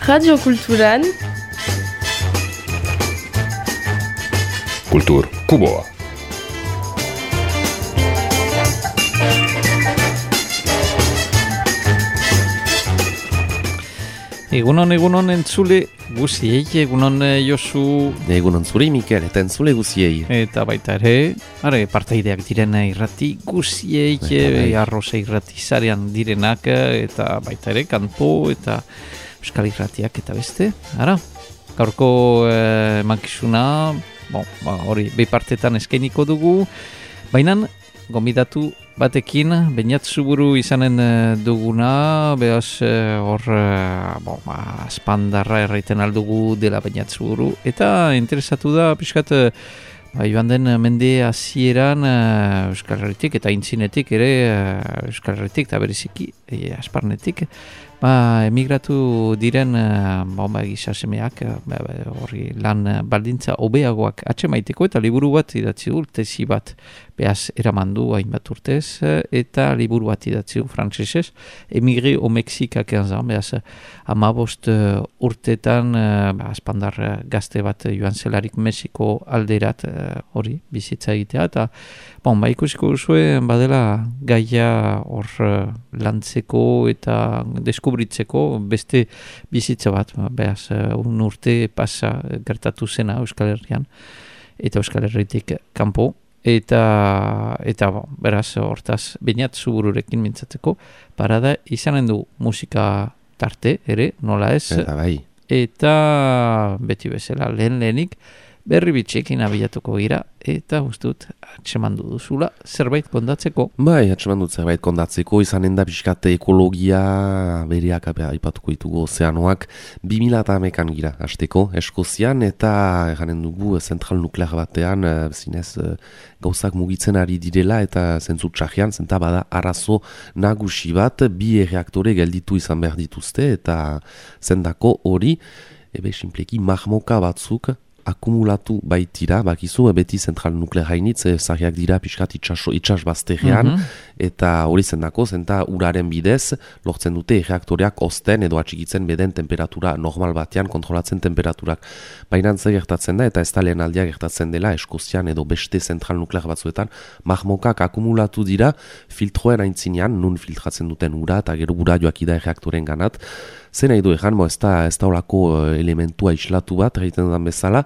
Radio Kulturan Kultur Kuboa. Egunon entzule guziei, egunon Josu. Egunon zuri Mikel, eta entzule guziei. Eta baita ere, partaideak diren irrati guziei, arroza irrati zarean direnak, eta baita ere, kanpo eta euskal irratiak eta beste. Gaurko emankizuna, hori bepartetan eskainiko dugu, baina gomidatu batekin, Beñat Zuburu izanen duguna, behaz hor aspandarra erraiten aldugu dela Beñat Zuburu, eta interesatu da, pixkat, joan den mende hasieran Euskal Herritik eta intzinetik ere Euskal Herritik eta bereziki asparnetik, emigratu diren gizasemeak horri lan baldintza hobeagoak atxemaiteko eta liburu bat idatzi du, tesi bat behaz eramandu hainbat urtez eta liburu bat idatzi du frantsesez, Emigre au Mexique à 15 ans, behaz 15 urtetan aspandar gazte bat joan zelarik Mexiko alderat hori bizitza egitea eta ikusiko duzue badela gaia hor lantzeko eta deskubritzeko beste bizitza bat, behaz un urte pasa gertatu zena Euskal Herrian eta Euskal Herritik kanpo eta beraz hortaz Beñat Zubururekin mintzatzeko parada izanen du musika tarte ere, nola ez, eta beti bezala lehenik berri bitxekin abiatuko gira, eta ustut atxemandu duzula zerbait kondatzeko. Atxemandu zerbait kondatzeko, izanen da pixkat ekologia bereak aipatuko ditugu ozeanoak 2011an gira, hasteko Eskozian, eta eranen dugu zentral nuklear batean, zinez gauzak mugitzen ari direla, eta zentzu txajean, zenta bada arazo nagusi bat, 2 reaktore gelditu izan behar dituzte, eta zendako hori, simpleki mahmoka batzuk, akumulatu baitira, bakizu, beti zentral nuklear hainitz, zahiak dira pixkat itxas bazterrean, eta hori zendako, zenta uraren bidez, lortzen dute reaktoreak osten edo atxikitzen beden temperatura normal batean, kontrolatzen temperaturak. Baina zer gertatzen da, eta ez da lehen aldia gertatzen dela, Eskozian edo beste zentral nuklear batzuetan, mahmokak akumulatu dira, filtroen aintzinean, nun filtratzen duten ura, eta gero ura joakida reaktoren ganat. Zer nahi du egan, ez da olako elementua islatu bat, egiten dudan bezala,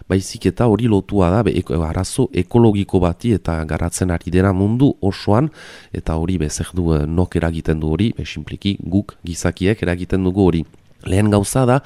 baizik eta hori lotua da, arazo ekologiko bati eta garatzen ari dena mundu osoan, eta hori zer du nok eragiten du hori, simpliki guk gizakiek eragiten dugu hori. Lehen gauza da,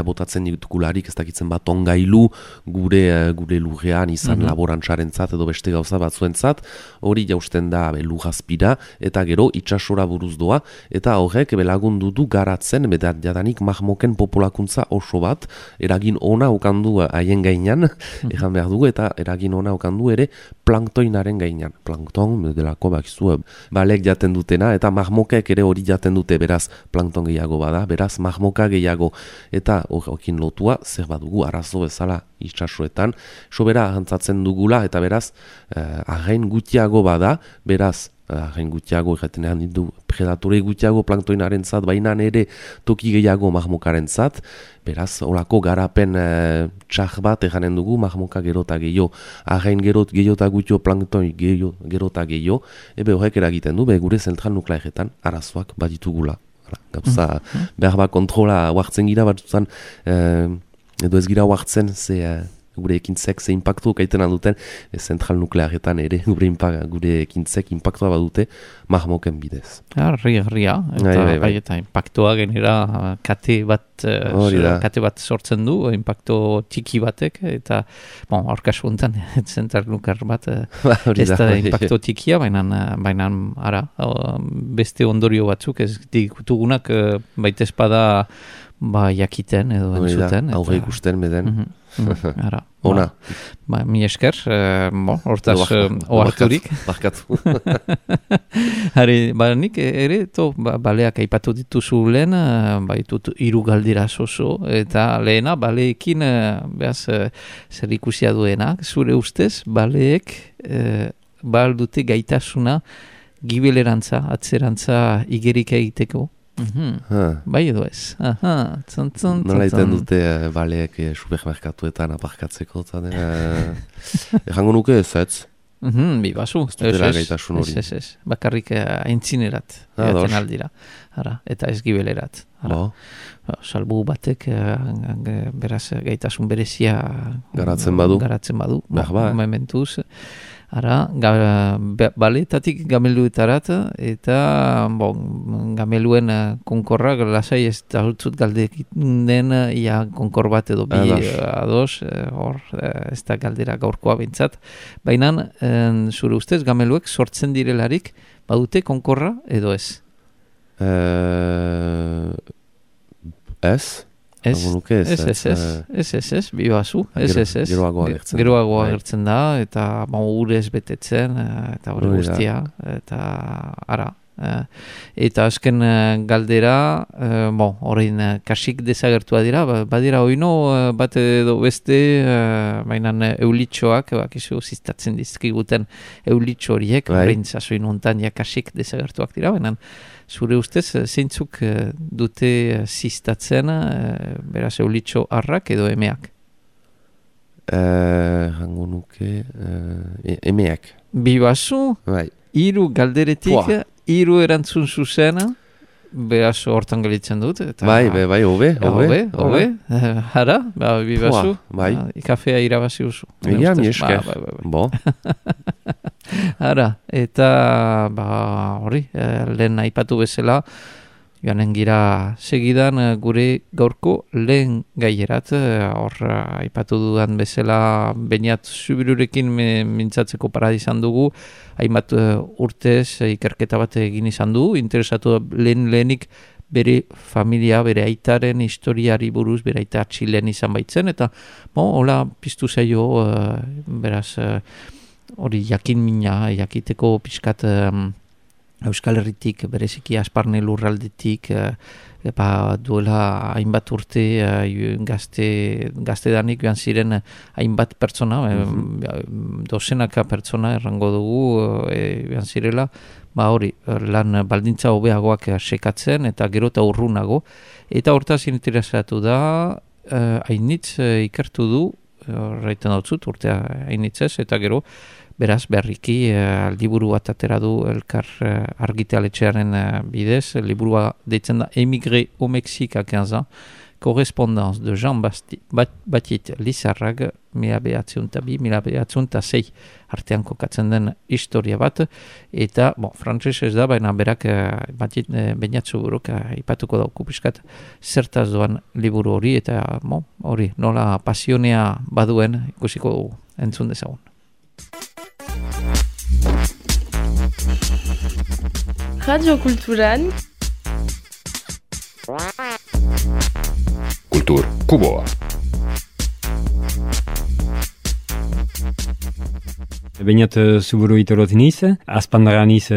botatzen ditugularik ez dakitzen bat ongailu gure lurrean izan laborantzarentzat edo beste gauza batzuentzat, hori jausten da lurrazpira eta gero itsasora buruz doa, eta horrek belagundu du garatzen, jadanik mahmoken populakuntza oso bat, eragin ona okandu haien gainan, egan behar dugu, eta eragin ona okandu ere planktoinaren gainan. Plankton, delako bakizu, balek jaten dutena, eta mahmokek ere hori jaten dute, beraz plankton gehiago bada, beraz mahmoka gehiago, eta horrekin lotua zer badugu arazo bezala itxasuetan, sobera ahantzatzen dugula, eta beraz arrain gutiago bada, beraz arrain gutiago erretenean ditu predatore gutiago planktoinaren zat, baina ere toki gehiago mahmokaren zat, beraz olako garapen txar bat eranen dugu mahmoka gerota gehiago, arrain gerota gutio planktoin gerota gehiago, horrek eragiten du, gure zentral nuklearetan arazoak baditugula. Gauza, behar kontrola huartzen gira batzutan, edo ez gira huartzen, gure ekintzek ze impactu kaiten duten zentral nuklearetan ere, gure ekintzek impactua badute mahmoken bidez. Ria, eta impactua genera kate bat sortzen du, impacto txiki batek, eta aurkasu honetan zentral nuklear bat ez da impacto txikia, baina beste ondorio batzuk ez digutugunak baita espada jakiten edo entzuten. Aurre ikusten beden. Ona. Mi esker, hortaz oarturik. Barkatu. Nik ere, baleak aipatu dituzu lehen, baitut 3 galdera zozo, eta lehena baleekin, zer ikusia duena, zure ustez, baleek dute gaitasuna gibelerantza, atzerantza igerik egiteko, Bai edo ez. Nola iten dute baleek supermerkatuetan aparkatzeko, errango nuke ez? Bibazu. Ez. Bakarrik aintzinerat egaten aldira. Eta ez gibelerat. Salbu batek beraz gaitasun berezia garatzen badu. Momentuz. Baletatik gameluetarat eta gameluen konkorrak lasai ez da hutzut galdekin den konkor bat edo bi ados, hor ez da galdera gaurkoa bintzat. Baina zure ustez gameluek sortzen direlarik badute konkorra edo ez? Ez, bibazu, ez. Geroago agertzen da, eta urez betetzen, eta hori guztia, eta ara. Eta azken galdera, horrein kasik desagertua dira, badira oino bat edo beste, mainan eulitxoak, bakizu ziztatzen dizkiguten eulitxo horiek, horrein zazoin hontan kasik desagertuak dira, baina zure ustez, zeintzuk dute ziztatzen, beraz eulitxo harrak edo emeak? Hango nuke, emeak. Bibazu, hiru galderetik, hiru erantzun zuzena, beraz hortan gelitzen dut. Bai, hobe. Hara, bibazu, kafea irabazi usu. Egia, mi esker. Bo. Hara, eta hori, lehen aipatu bezala, joanen gira segidan gure gaurko lehen gaierat, hor aipatu dudan bezala Beñat Zubirurekin mintzatzeko paradizan dugu, hainbat urtez ikerketa bat egin izan du, interesatu lehenik bere familia, bere aitaren historiari buruz, bere aita Txilen izan baitzen, eta hola piztu zaio, beraz, hori jakiteko pixkat Euskal Herritik, bereziki Asparne lurraldetik, duela hainbat urte gaztedanik joan ziren hainbat pertsona, dozenaka pertsona errango dugu joan zirela, hori, lan baldintza hobeagoak sekatzen eta gero eta urrunago. Eta hortaz interesatu da, hainitz ikertu du, raiten dautzut, urtea hainitzez, eta gero, beraz, berriki, liburu bat atera du elkar argitaletxearen bidez, liburua deitzen da Émigré au Mexique à 15 ans, correspondance de Jean Batit Lizarrag, 1902-1906 artean kokatzen den historia bat, eta, frantzes ez da, baina berak Beñat Zuburuk ipatuko dauku piskat zertaz doan liburu hori, eta hori, nola pasionea baduen ikusiko dugu, entzun dezagun. Radio Kulturan Kultur Kuboa. Beñat Zuburu itorot niz, azpandaran niz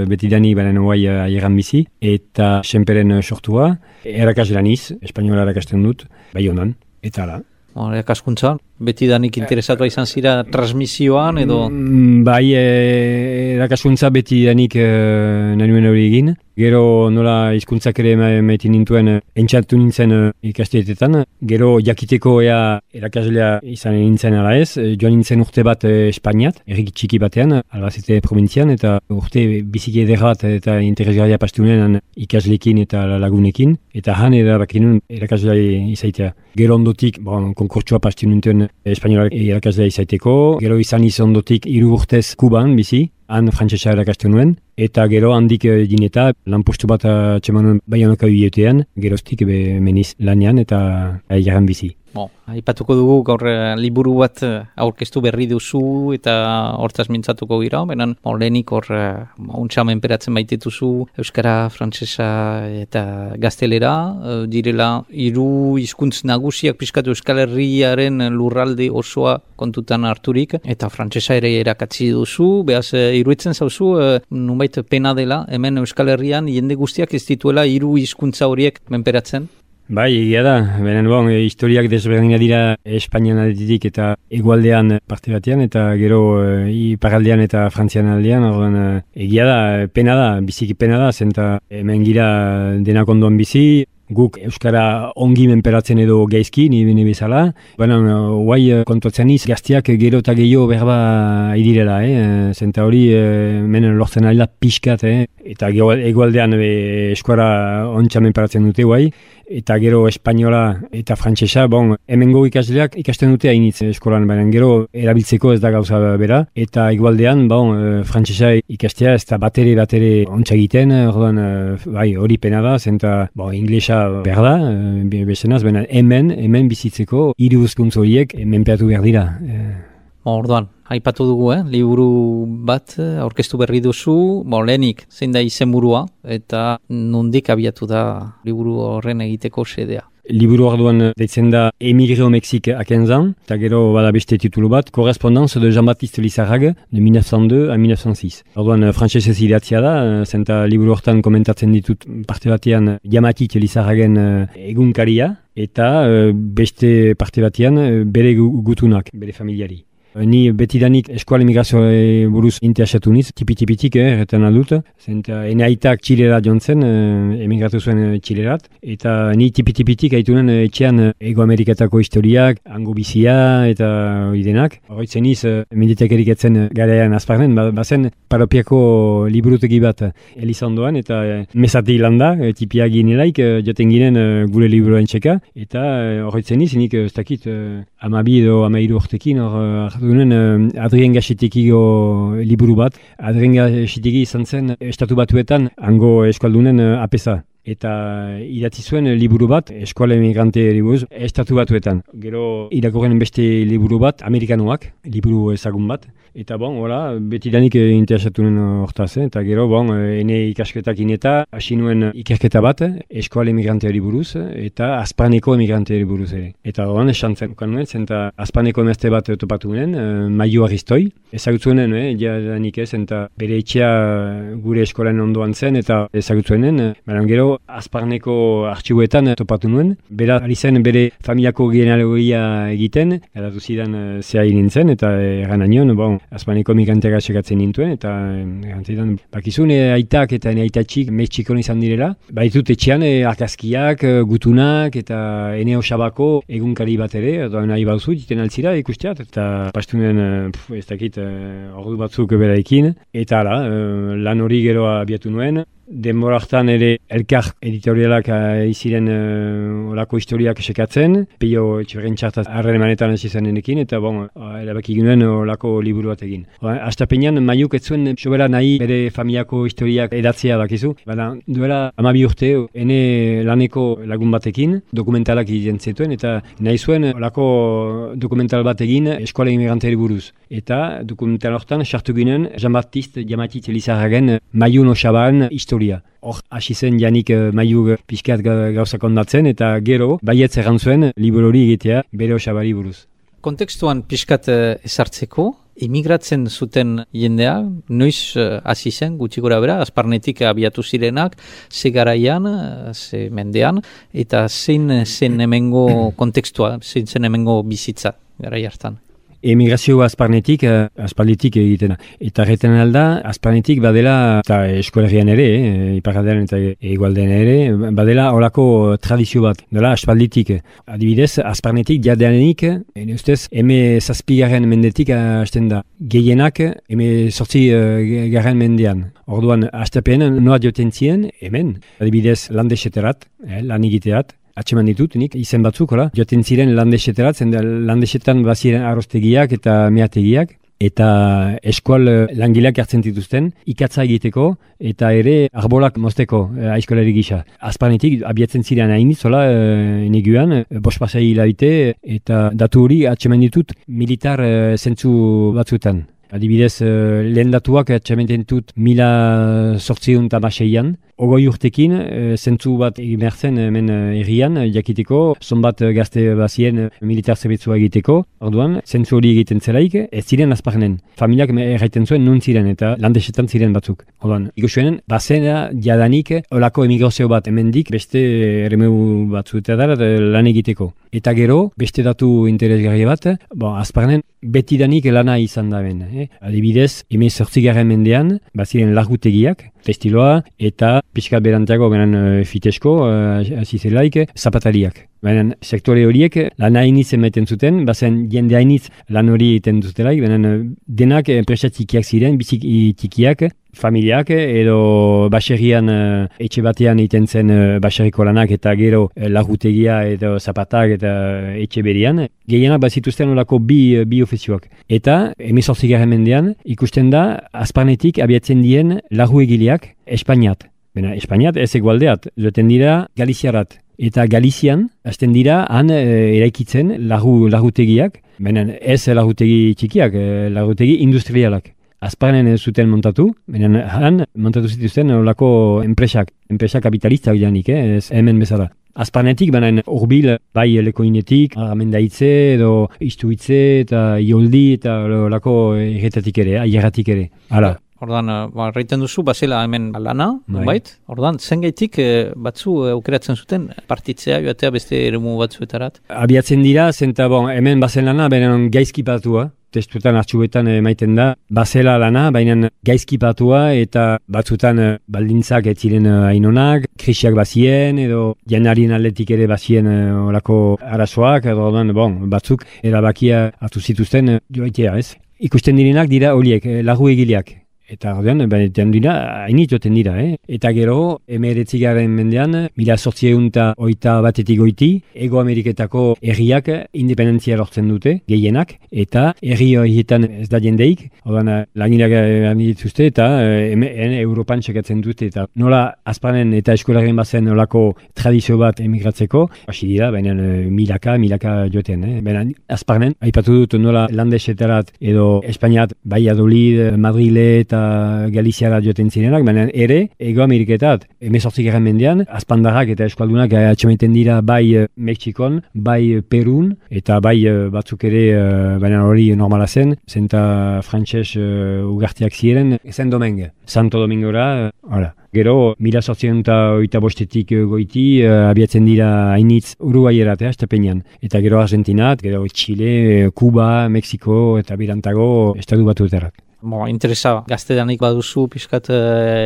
betidanik baren oai aieran bizi, eta senperen sortua, erakasla niz, espainola erakasten dut, bai honan, eta ala. Erakaskuntza, betidanik interesatua izan zira transmisioan edo? Bai, erakaskuntza betidanik nanuen hori egin. Gero nola hizkuntzak ere maiten nintuen entxatu nintzen ikasteetetan. Gero jakiteko erakaslea izan nintzen ala ez. Joan nintzen urte bat Espainiat, errik txiki batean, Albacete provintzian, eta urte biziki ederrat eta interesgarria pastunean ikaslekin eta lagunekin. Eta han bakinun erakaslea izaitea. Gero ondotik, konkurtsua pastu nintzen espainola erakaslea izaiteko. Gero izan ondotik 3 urtez Kuban bizi. Han frantsesa erakasten nuen, eta gero handik dineta, lanpostu bat txemanuen Baionako biletean, geroztik meniz lanean eta aileran bizi. Aipatuko dugu gaur liburu bat aurkeztu berri duzu eta hortaz mintzatuko gira, benen lehenik hor untsa menperatzen baitituzu euskara, frantsesa eta gaztelera, direla 3 hizkuntz nagusiak pixkatu Euskal Herriaren lurralde osoa kontutan harturik, eta frantsesa ere erakatsi duzu, behaz iruditzen zauzu, nunbait pena dela, hemen Euskal Herrian jende guztiak ez dituela 3 hizkuntza horiek menperatzen? Bai, egia da, benen historiak desberdinak dira Espainian aldetik eta hegoaldean parte batean, eta gero iparraldean eta Frantzian aldean, orduan egia da, pena da, biziki pena da, zenta hemen gira denak ondoan bizi, guk Euskara ongi menperatzen edo gaizki, ni bezala. Baina, guai kontuatzen iz, gaztiak gero eta gehiago berba idirela, zenta hori menen lortzen alda pixkat, eta egualdean Euskara ontsa menperatzen dute guai, eta gero espainola eta frantsesa, hemengo ikasleak ikasten dute hainitz eskolan, baina gero erabiltzeko ez da gauza bera, eta egualdean, frantsesa ikastea ez da batere ontsa egiten, orduan, bai, hori pena da, zenta, inglesa behar da, bezenaz, baina hemen bizitzeko hiru hizkuntza horiek menperatu behar dira. Orduan, aipatu dugu, liburu bat aurkeztu berri duzu, lehenik, zein da izenburua, eta nondik abiatu da liburu horren egiteko xedea. Liburu orduan deitzen da Émigré au Mexique à 15 ans, eta gero bada beste titulu bat, Correspondance de Jean-Baptiste Lizarraga, de 1902 à 1906. Orduan frantsesez idatzia da, zenta liburu hortan komentatzen ditut parte batean Jean-Baptiste Lizarragen egunkaria, eta beste parte batean bere gutunak, bere familiari. Ni betidanik eskual emigrazioa buruz interesatu niz, tipitik, erretan aldut, zenta ene aitak Txilera jontzen, emigratu zuen Txilerat, eta ni tipitik haitunen etxean Ego Ameriketako historiak, hango bizia eta oidenak. Horretzen niz, mendetek eriketzen garean azparnen, bazen paropiako liburutegi bat Elizondoan, eta mesati landa, tipia ginelaik, joten ginen gure liburuen txeka, eta horretzen niz, nik ez dakit, 12 edo 13 urtekin, Adrien Gaxetekiko liburu bat. Adrien Gaxeteki izan zen Estatu Batuetan hango eskualdunen apesa. Eta idatzi zuen liburu bat, eskuala emigrante buruz, Estatu Batuetan. Gero irakurren beste liburu bat, Amerikanoak, liburu ezagun bat. Eta betidanik interesatu nuen hortaz, eta gero, ene ikasketak ineta, hasi nuen ikerketa bat, eskuala emigrante buruz, eta Azpaneko emigrante buruz ere. Eta esantzen ukan nuen, zenta Azpaneko emazte bat topatu nuen, Maio Aristoi. Ezagutzuen, jadanik ez, eta bere etxea gure eskolan ondoan zen, eta ezagutzuen, baina gero, Azparneko artxibuetan topatu nuen. Bera, ari zen bere familiako genealogia egiten, edatu zidan zea nintzen, eta erran Azparneko migranteak sekatzen nintuen, eta errantzidan, bakizun, aitak eta ene aitatxik Mexikon izan direla. Baitut etxean, arkazkiak, gutunak, eta ene osabako egunkari bat ere, eta nahi bauzu, jiten altzira ikusteat, eta pastunen, ez dakit, ordu batzuk beraekin, eta lan hori gero abiatu nuen. Denbora hartan ere elkar editorialak iziren olako historiak esekatzen, peio etxerren txartaz harren emanetan hasi zenekin, eta erabaki ginen olako liburu bat egin. Astapenean Maiuk ez zuen sobera nahi bere familiako historiak edatzea bakizu, baina duela 12 urte ene laneko lagun batekin dokumentalak egiten zituen, eta nahi zuen olako dokumental bat egin eskola emigranteri buruz. Eta dokumental hortan sartu ginen Jean-Baptiste Lizarragen Maiun Osaban historia. Hor, hasi zen janik Maiu pixkat gauzak ondatzen, eta gero, baietz erran zuen liburu hori egitea bere Osabari buruz. Kontekstuan pixkat ezartzeko, emigratzen zuten jendea, noiz hasi zen, gutxi gora bera, Azparnetik abiatu zirenak, ze garaian, ze mendean, eta zein zen hemengo kontekstua, zein zen hemengo bizitza garai hartan. Emigrazio Azparnetik, aspalditik egitena. Eta erreten alda, Azparnetik badela, eta eskolegian ere, iparraldean eta egualdean ere, badela horako tradizio bat, dela aspalditik. Adibidez, Azparnetik jadeanenik, ustez, eme zazpigarren mendetik hasten da. Gehienak, eme 8 garren mendean. Orduan, hastapen noa joten zien, hemen, adibidez, landeseterat, lan egiteat, atseman ditut, nik, izen batzuk, joten ziren landeseterat, landesetan baziren arrostegiak eta meategiak, eta eskual langileak hartzen dituzten, ikatza egiteko, eta ere arbolak mozteko aizkolari gisa. Azparnetik abiatzen ziren hainitz, neguan, bospasai hilabite, eta datu hori atseman ditut militar zentzu batzuetan. Adibidez, lehen datuak atxamenten dut 1806an, ogoi urtekin, zentzu bat emertzen hemen herrian, jakiteko, zonbat gazte bazien militar zerbitzua egiteko, orduan, zentzu hori egiten zelaik, ez ziren azparnen. Familiak erraiten zuen nun ziren eta landesetan ziren batzuk. Orduan, ikusuenen, bazena jadanik olako emigrazio bat hemendik beste erremeu batzuetara lan egiteko. Eta gero, beste datu interesgarri bat, azparnen betidanik lana izan da ben. Adibidez, 18. mendean, baziren largutegiak, testiloa, eta pixkat berantago benen fitesko, azizelaik, zapatariak. Benen sektore horiek lan hainitz emaiten zuten, bazen jende hainitz lan hori egiten dutelaik, benen denak enpresa txikiak ziren, bizik txikiak, familiak edo baserrian etxe batean egiten zen baserriko lanak eta gero lagutegia edo zapatak eta etxe berian. Gehienak bazituzten olako bi ofizioak. Eta 18. mendean ikusten da azparnetik abiatzen dien lagu egileak Espainiat. Espainiat ez egualdeat, joten dira Galiziarat. Eta Galizian, hasten dira, han eraikitzen lagutegiak, benen ez lagutegi txikiak, lagutegi industrialak. Azparnen zuten montatu, benen han montatu zituzten olako enpresa kapitalistak janik, ez hemen bezala. Azparnetik, benen urbil, bai lekoinetik, aramendaitze edo istuitze eta ioldi eta olako erretatik ere, aierratik ere. Hala. Ordan, reiten duzu, bazela hemen lana, bait? Ordan, zengaitik batzu aukeratzen zuten partitzea, joatea beste eremu batzuetarat? Abiatzen dira, zenta hemen bazen lana, benen gaizkipatua, testuetan artxuetan emaiten da, bazela lana, baina gaizkipatua eta batzutan baldintzak ez ziren hainonak, krisiak bazien edo janarien atletik ere bazien olako arazoak, edo batzuk erabakia hartu zituzten joaitea, ez? Ikusten direnak dira horiek, lagu egileak. Eta ordean, hainit joten dira, Eta gero, 19. mendean, 1800 batetik goiti, Ego Ameriketako herriak independentzia lortzen dute, gehienak, eta herri horietan ez da jendeik, ordean, langileak dituzte, eta Europan txekatzen dute, eta nola azparnen eta eskolaren bazen olako tradizio bat emigratzeko, hasi dira, baina milaka joten, Baina azparnen, aipatu dut nola landesetarat edo Espainiat, Valladolid, Madrile eta Galiziara joten zirenak, baina ere, Ego Ameriketat, 18. mendean, azpandarrak eta eskaldunak atxemaiten dira bai Mexikon, bai Perun, eta bai batzuk ere, baina hori normala zen, zenta frantxez ugartiak ziren, zen Domingue, Santo Domingora, hala. Gero, 1885 goiti, abiatzen dira hainitz Uruguayerat, estapenean. Eta gero Argentinat, gero Chile, Kuba, Mexiko, eta birantago, estatu batuetarrak. Interesa, gaztedanik baduzu, pixkat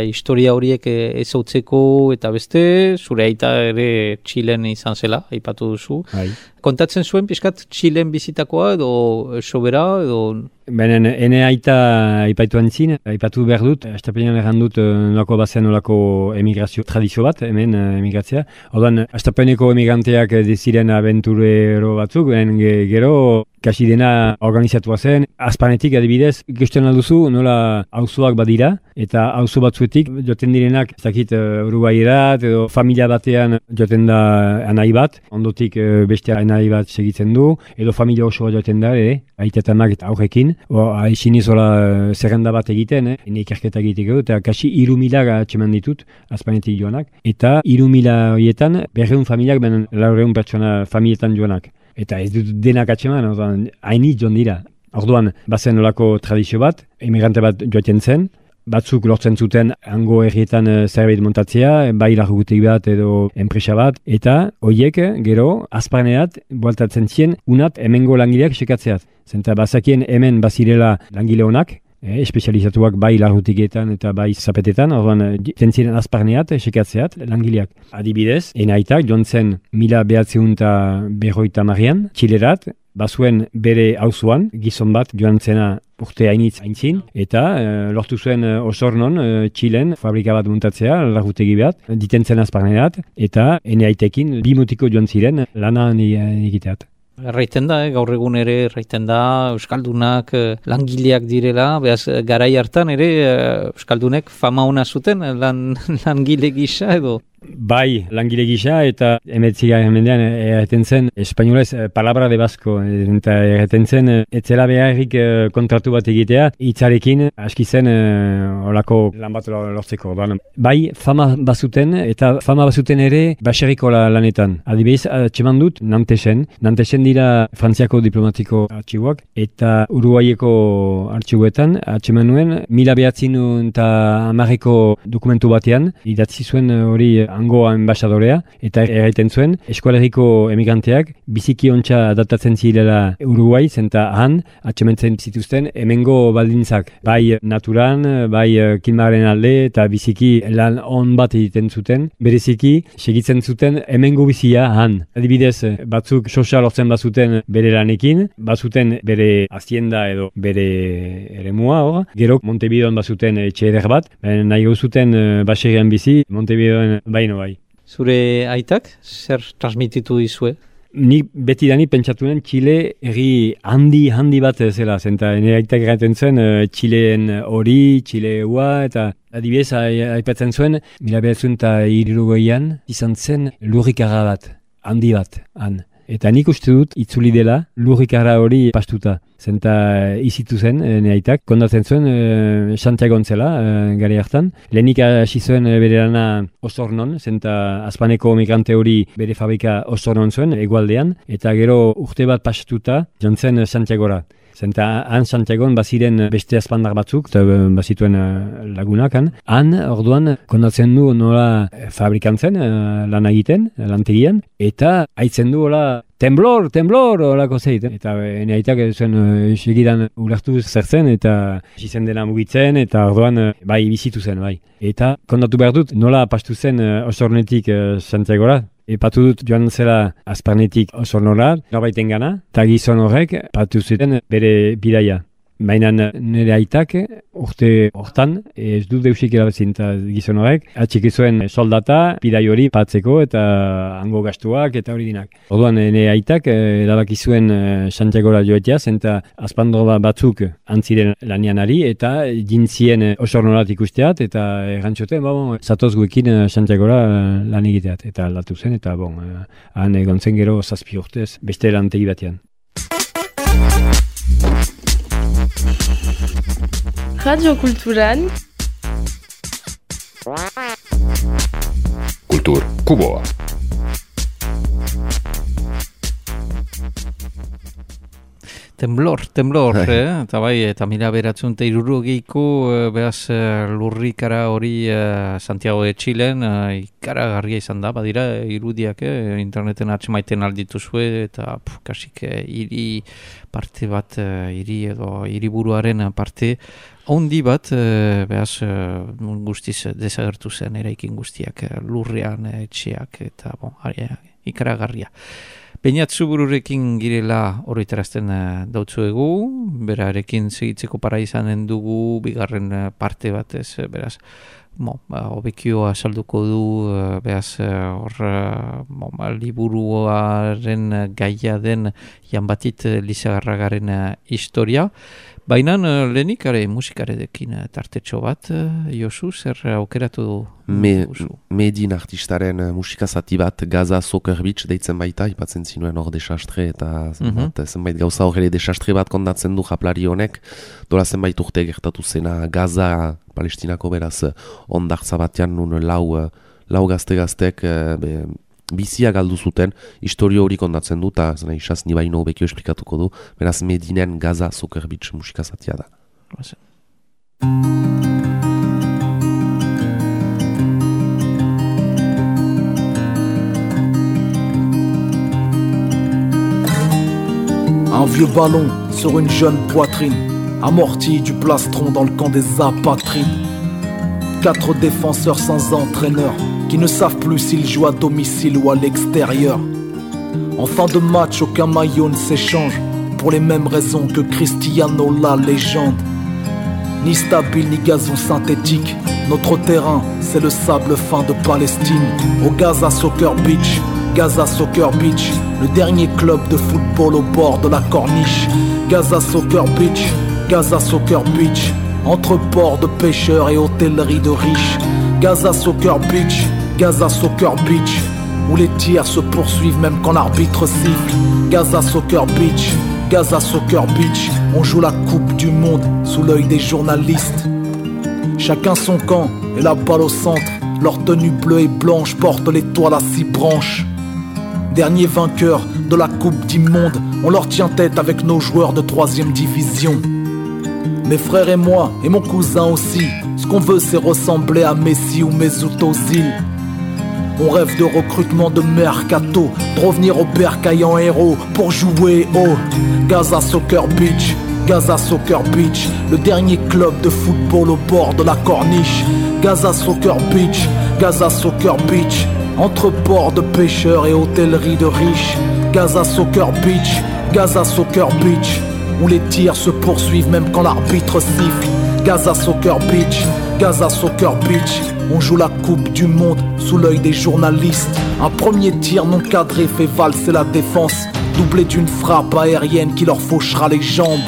historia horiek ezautzeko eta beste, zure aita ere Txilen izan zela, aipatu duzu. Hai. Kontatzen zuen pixkat Txilen bizitakoa edo sobera edo... Benen, ene aita aipatu antzin, aipatu behar dut, estapenean errandut nolako bazen nolako emigrazio tradizio bat, hemen emigratzea. Ordan, estapeneko emigranteak diziren aventurero batzuk, gero kasi dena organizatua zen. Azpanetik adibidez, ikusten alduzu nola auzoak badira, eta auzo batzuetik joten direnak, ez dakit Uruguayerat edo familia batean joten da anai bat, ondotik beste anai bat segitzen du, edo familia osoa joten da, aita eta amak eta aurrekin, haixin izola zerrenda bat egiten, ikerketa egiteko, eta kasi 3.000 atxeman ditut, azpanetik joanak, eta 3.000 horietan 200 familiak, 400 pertsona familietan joanak. Eta ez dut denak atxeman, hainit joan dira. Orduan, bazen olako tradizio bat, emigrante bat joaten zen, batzuk lortzen zuten hango herrietan zerbait montatzea, bai largutegi bat edo enpresa bat, eta horiek gero azparneat bueltatzen zien unat hemengo langileak sekatzeat. Zenta bazakien hemen bazirela langile honak, espezializatuak bai largutegietan eta bai zapetetan, orduan ziren azparneat sekatzeat langileak. Adibidez, enaitak joan zen 1950 Txilerat, bazuen bere auzoan gizon bat joan zena urte aintzin, eta lortu zuen Osornon, Txilen, fabrika bat muntatzea, largutegi bat, diten zen azparneat, eta eneaitekin 2 mutiko joan ziren lana egiteat. Erraiten da, gaur egun ere erraiten da, euskaldunak langileak direla, behaz garai hartan ere euskaldunek fama ona zuten langile gisa edo? Bai, langile gisa eta 19. mendean erreten zen espainolez palabra de basko, eta erreten zen etzela beharrik kontratu bat egitea, hitzarekin aski zen olako lan bat lortzeko. Bai, fama bazuten, eta fama bazuten ere baserriko lanetan. Adibidez, atxeman dut Nantesen dira Frantziako diplomatiko artxiboak, eta Uruguaieko artxiboetan atxeman nuen 1910ko dokumentu batean, idatzi zuen hori hango ambasadorea, eta erraiten zuen eskualeriko emigranteak biziki ontsa adaptatzen zirela Uruguai, zenta han atxementzen zituzten hemengo baldintzak, bai naturan, bai kilmaren alde, eta biziki lan on bat egiten zuten, bereziki segitzen zuten hemengo bizia han. Adibidez, batzuk sosa lortzen bazuten bere lanekin, bazuten bere hazienda edo bere eremua hor, gero Montevideon bazuten etxe eder bat, nahi gauzuten baserrian bizi, Montevideon baino bai. Zure aitak, zer transmititu dizue? Ni betidani pentsatunen Txile herri handi bat zela, zenta nire aitak gaiten zen Txileen hori, Txileua, eta adibidez aipatzen zuen, 1960an izan zen lurrikara bat, handi bat, han. Eta nik uste dut itzuli dela lurrikara hori pastuta. Zenta izitu zen, aitak, kondatzen zuen Santiago zela, gari hartan. Lehenik hasi zuen bere lana Osornon, zenta azpaneko migrante hori bere fabrika Osornon zuen, egualdean, eta gero urte bat pastuta jantzen Santiagora. Zenta han Santiagon baziren beste azpandar batzuk, eta bazituen lagunak han orduan kondatzen du nola fabrikantzen, lan egiten, lantegian, eta haitzen du hola temblor, horako zeit. Eta aitak zuen segidan ulertu zertzen, eta izen dena mugitzen, eta orduan bai bizitu zen, bai. Eta kondatu behar dut nola pastu zen Osornetik Santiagora. Epatu dut joan zela azparnetik Osornora, norbaiten gana, eta gizon horrek patu zuten bere bidaia. Baina nire aitak urte hortan, ez dut deusik erabezin eta gizon horrek, atxiki zuen soldata, bidai hori patzeko eta hango gastuak eta hori dinak. Orduan nire aitak erabaki zuen Santiagora joetea, zenta azpandro batzuk antziren lanianari eta jintzien Osornorat ikusteat eta errantxoten, zatoz guekin Santiagora lan egiteat. Eta aldatu zen eta han egon zen gero 7 urtez beste lantegi batean. Radio Kulturan Kultur Kuboa. Temblor, eta bai, eta mila beratzen eta irurogeiko behaz lurrikara hori Santiago de Txilen ikaragarria izan da, badira irudiak interneten atxemaiten aldituzue eta kasik hiri parte bat, hiri edo hiriburuaren parte handi bat behaz guztiz desagertu zen eraikin guztiak lurrean etxeak eta ikaragarria. Beñat Zubururekin girela horretarazten dautzuegu, berarekin segitzeko para izanen dugu, bigarren parte batez, beraz, obekioa salduko du, beraz, liburuaren gaia den Janbatit Lizagarragaren historia. Baina lehenik musikarekin tartetxo bat, Josu, zer aukeratu du? Medin artistaren musikazati bat, Gaza Soccer Beach deitzen baita, ipatzen zinuen hor desastre eta zenbait gauza hor ere desastre bat kondatzen du japlari honek, dola zenbait urte gertatu zena Gaza, Palestinako beraz ondartza batean nun lau gazte-gaztek bizia galdu zuten, historio hori kondatzen du, eta isaz ni baino bekio esplikatuko du, beraz Medinen Gaza Soccer Beach musikazatia da. Un vieux ballon sur une jeune poitrine, amorti du plastron dans le camp des apatrides. 4 défenseurs sans entraîneur, qui ne savent plus s'ils jouent à domicile ou à l'extérieur. En fin de match, aucun maillot ne s'échange, pour les mêmes raisons que Cristiano, la légende. Ni stable, ni gazon synthétique, notre terrain, c'est le sable fin de Palestine. Au Gaza Soccer Beach, Gaza Soccer Beach, le dernier club de football au bord de la corniche. Gaza Soccer Beach, Gaza Soccer Beach, entre ports de pêcheurs et hôtelleries de riches. Gaza Soccer Beach, Gaza Soccer Beach, où les tirs se poursuivent même quand l'arbitre siffle. Gaza Soccer Beach, Gaza Soccer Beach, on joue la coupe du monde sous l'œil des journalistes. Chacun son camp et la balle au centre. Leur tenue bleue et blanche porte l'étoile à 6 branches. Dernier vainqueur de la coupe du monde, on leur tient tête avec nos joueurs de 3e division. Mes frères et moi, et mon cousin aussi, ce qu'on veut c'est ressembler à Messi ou Mesut Ozil. On rêve de recrutement de mercato, de revenir au bercail en héros pour jouer au Gaza Soccer Beach. Gaza Soccer Beach, le dernier club de football au bord de la corniche. Gaza Soccer Beach, Gaza Soccer Beach, entre ports de pêcheurs et hôtellerie de riches. Gaza Soccer Beach, Gaza Soccer Beach, où les tirs se poursuivent même quand l'arbitre siffle. Gaza Soccer Beach, Gaza Soccer Beach, on joue la coupe du monde sous l'œil des journalistes. Un premier tir non cadré fait valser la défense, doublé d'une frappe aérienne qui leur fauchera les jambes.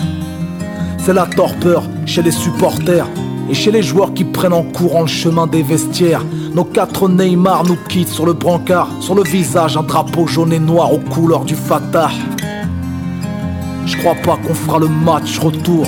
C'est la torpeur chez les supporters et chez les joueurs qui prennent en courant le chemin des vestiaires. Nos 4 Neymar nous quittent sur le brancard, sur le visage un drapeau jaune et noir aux couleurs du Fatah. Je crois pas qu'on fera le match retour,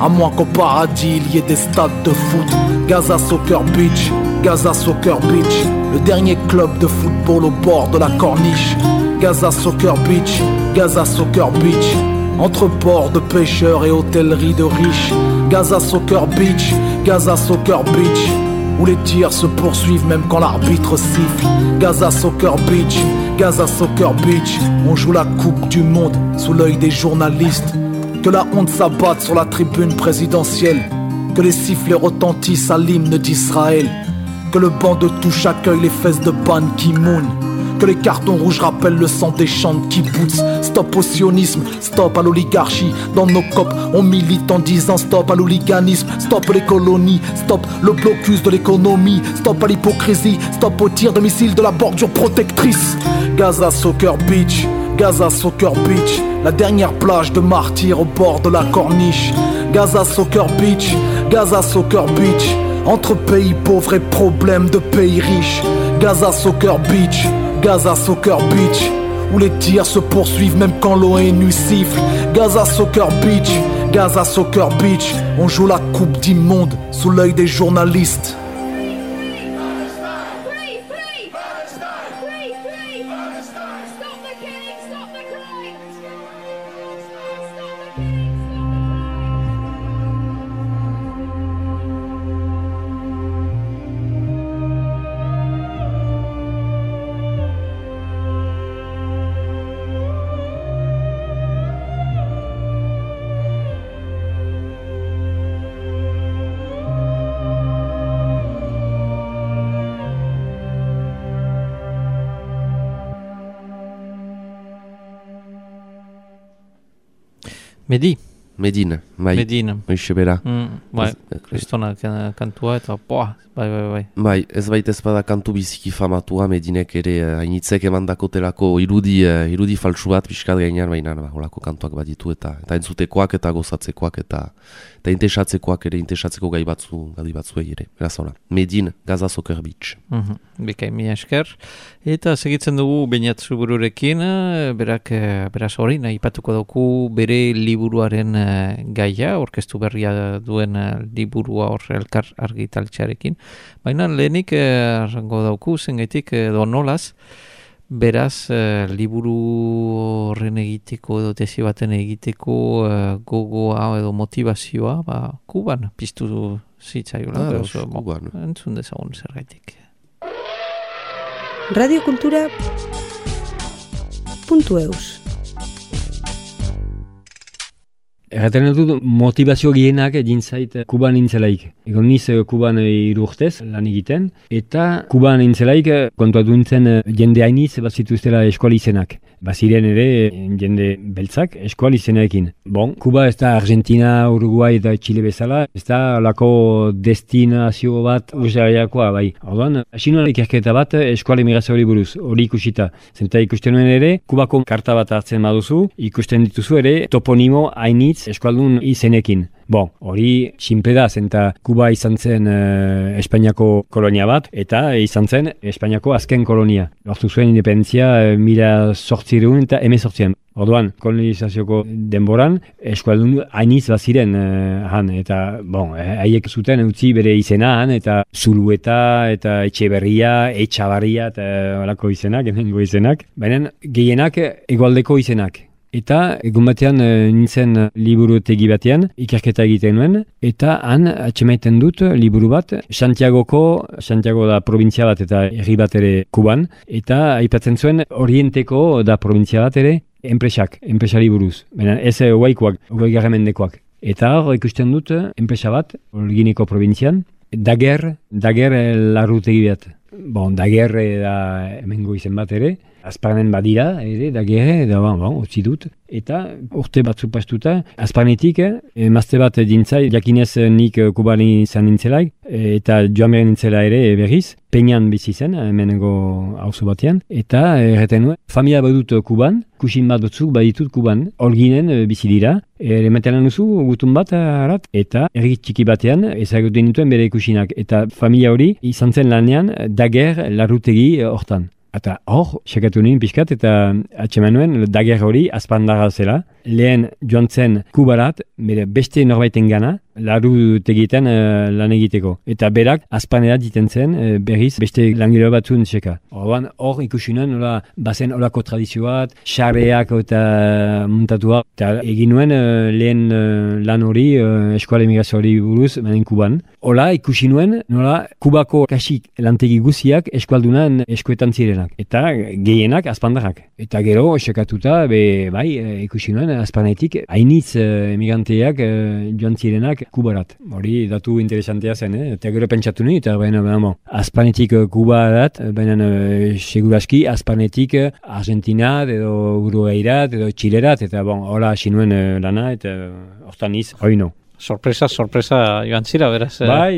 à moins qu'au paradis il y ait des stades de foot. Gaza Soccer Beach, Gaza Soccer Beach, le dernier club de football au bord de la corniche. Gaza Soccer Beach, Gaza Soccer Beach, entre ports de pêcheurs et hôtellerie de riches. Gaza Soccer Beach, Gaza Soccer Beach, où les tirs se poursuivent même quand l'arbitre siffle. Gaza Soccer Beach, Gaza Soccer Beach, on joue la coupe du monde sous l'œil des journalistes. Que la honte s'abatte sur la tribune présidentielle, que les sifflets retentissent à l'hymne d'Israël, que le banc de touche accueille les fesses de Ban Ki-moon, que les cartons rouges rappellent le sang des champs de kibbutz. Stop au sionisme, stop à l'oligarchie. Dans nos copes, on milite en disant stop à l'hooliganisme, stop les colonies, stop le blocus de l'économie, stop à l'hypocrisie, stop au tir de missiles de la bordure protectrice. Gaza Soccer Beach, Gaza Soccer Beach, la dernière plage de martyrs au bord de la corniche. Gaza Soccer Beach, Gaza Soccer Beach, entre pays pauvres et problèmes de pays riches. Gaza Soccer Beach, Gaza Soccer Beach, où les tirs se poursuivent même quand l'ONU siffle. Gaza Soccer Beach, Gaza Soccer Beach, on joue la coupe du monde sous l'œil des journalistes. Medin, bai. Medin. Hoixe bera. Bai, kristona kantua eta bai. Bai, ez baita ezpada kantu biziki famatua, Medinek ere hainitzek emandakotelako irudi faltsu bat pixkat gainean, baina holako kantuak bat ditu eta entzutekoak eta gozatzekoak eta intesatzekoak ere, intesatzeko gai batzuei ere. Beraz hola, Medin, Gaza Soccer Beach. Bikain, mi esker. Eta segitzen dugu Beñatzu bururekin, beraz hori, aipatuko dauku bere liburuaren gaia, orkestu berria duen liburua hor elkar argitaltxearekin. Baina lehenik arrango dauku, zengaitik edo nolaz, beraz liburu horren egiteko edo tesi baten egiteko gogoa edo motivazioa, Kuban piztu zitzaiola. Kuban. Entzun dezagun zergaitik. radiokultura.eus Erraten dut motivazio gehienak egin zait Kuban nintzelaik. Egon niz Kuban 3 urtez lan egiten, eta Kuban nintzelaik kontuatu nintzen jende hainiz bat zituztela eskola izenak. Baziren ere jende beltzak eskola izenaekin. Kuba ez da Argentina, Uruguay eta Chile bezala, ez da lako destinazio bat usaiakoa bai. Orduan, hasi nuen ikerketa bat eskola emigrazioari buruz, hori ikusita. Zenta ikusten nuen ere, Kubako karta bat hartzen baduzu, ikusten dituzu ere toponimo hainitz eskualdun izenekin. Bon, hori sinple da, zenta Kuba izan zen Espainiako kolonia bat, eta izan zen Espainiako azken kolonia. Lortu zuen independentzia 1800 eta 1800. Orduan, kolonizazioko denboran, eskualdun hainiz baziren han, eta, bon, haiek zuten utzi bere izena han, eta Zulueta, eta Etxeberria, Etxabarria, eta horako izenak, hemengo izenak. Baina gehienak hegoaldeko izenak. Eta egun batean nintzen liburutegi batean, ikerketa egiten nuen, eta han atxemaiten dut liburu bat, Santiago da provintzia bat eta herri bat ere Kuban, eta aipatzen zuen Orienteko da provintzia bat ere, enpresari buruz. Baina ez huaikoak, mendekoak. Eta hor ikusten dut enpresa bat, Holguineko provintzian, Daguerre larrutegi bat. Bon, Daguerre da hemengo izen bat ere, Azparnen badira ere, Daguerre, da utzi dut. Eta urte batzu pastuta, Azparnetik, emazte bat dintzai, jakinez nik Kubani izan nintzelaik, eta joan beren nintzela ere berriz, Peñan bizi zen, hemengo auzo batean, eta erreten nuen, familia badut Kuban, kusin bat batzuk baditut Kuban, Holguinen bizi dira, remetelan duzu gutun bat harat, eta erri txiki batean ezagutzen nituen bere kusinak, eta familia hori izan zen lanean Daguerre larrutegi hortan. Eta hor, sekatu nien pixkat, eta atxeman nuen Daguerre hori azpandarra zela. Lehen joan zen Kubarat, beste norbaiten gana, larrutegietan lan egiteko. Eta berak azpanera diten zen berriz beste langile batzun seka. Hor ikusi nuen, bazen olako tradizioat, xarreak eta muntatuak. Eta egin nuen lehen lan hori, eskuala emigrazio hori buruz, banen Kuban. Hola ikusi nuen, Kubako kasik lantegi guziak eskualdunan eskuetan zirenak. Eta gehienak azpandarrak. Eta gero, sekatuta, ikusi nuen, azpanetik, hainitz emigranteak joan zirenak Kubarat. Hori datu interesantea zen, eta gero pentsatu nuen, eta azpanetik Kubarat, baina seguraski azpanetik Argentinar, edo Uruguairat, edo Txilerat, eta hola hasi nuen lana, eta hortan niz, hoi no. Sorpresa joan zira, beraz. Bai,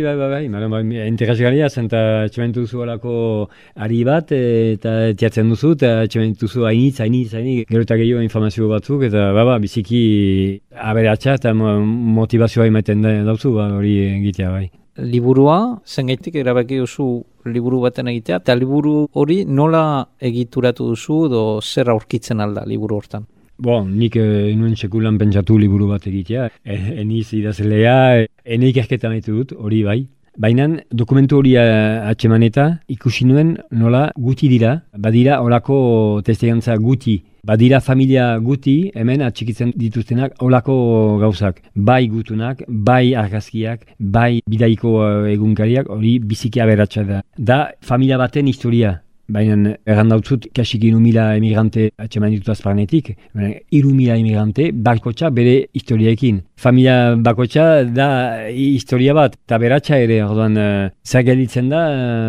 interesgarria zen, eta txementu duzu alako ari bat, eta tiatzen duzu, eta txementu duzu hainitz, gero eta gehiago informazio batzuk, eta biziki aberatsa eta motivazioa ematen dauzu, hori egitea, bai. Liburua, zengaitik erabaki duzu liburu baten egitea, eta liburu hori nola egituratu duzu, edo zer aurkitzen alda liburu hortan? Nik nuen sekulan pentsatu liburu bat egitea. Eniz idazlea, ene ikerketa nahi dut, hori bai. Baina dokumentu hori atxeman eta ikusi nuen nola guti dira, badira horako testigantza guti. Badira familia guti, hemen atxikitzen dituztenak olako gauzak. Bai gutunak, bai argazkiak, bai bidaiko egunkariak, hori biziki aberatsa da. Da familia baten historia. Baina errandautzut kasik 1.000 emigrante atxeman ditut azparnetik. 3.000 emigrante bakotxa bere historiaekin. Familia bakotxa da historia bat, eta beratxa ere, orduan zer gelditzen da